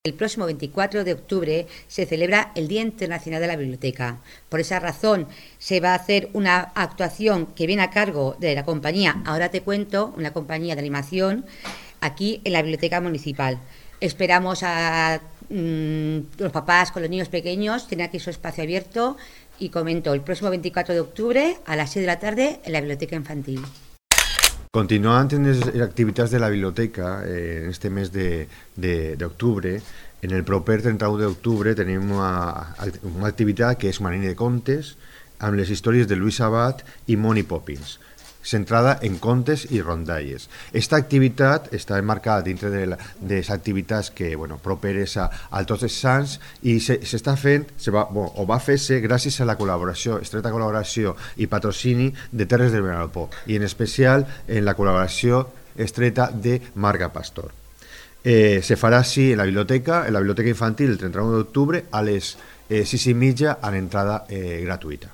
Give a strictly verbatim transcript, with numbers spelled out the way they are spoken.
El próximo veinticuatro de octubre se celebra el Día Internacional de la Biblioteca. Por esa razón se va a hacer una actuación que viene a cargo de la compañía Ahora Te Cuento, una compañía de animación, aquí en la Biblioteca Municipal. Esperamos a mmm, los papás con los niños pequeños, tienen aquí su espacio abierto y comento, el próximo veinticuatro de octubre a las seis de la tarde en la Biblioteca Infantil. Continuant en les activitats de la biblioteca, eh, en este mes de, de, d'octubre, en el proper trenta-u d'octubre tenim una, una activitat que és una línia de contes amb les històries de Lluís Abat i Moni Poppins, centrada en contes i rondalles. Esta activitat està enmarcada dintre de les activitats que, bueno, properes a, a Tots els Sants i s'està fent, se va, bueno, o va fer-se gràcies a la col·laboració, estreta col·laboració i patrocini de Terres del Vinalopó i en especial en la col·laboració estreta de Marga Pastor. Eh, se farà així en la biblioteca, en la biblioteca infantil el trenta-u d'octubre a les eh, sis i mitja a l'entrada eh, gratuïta.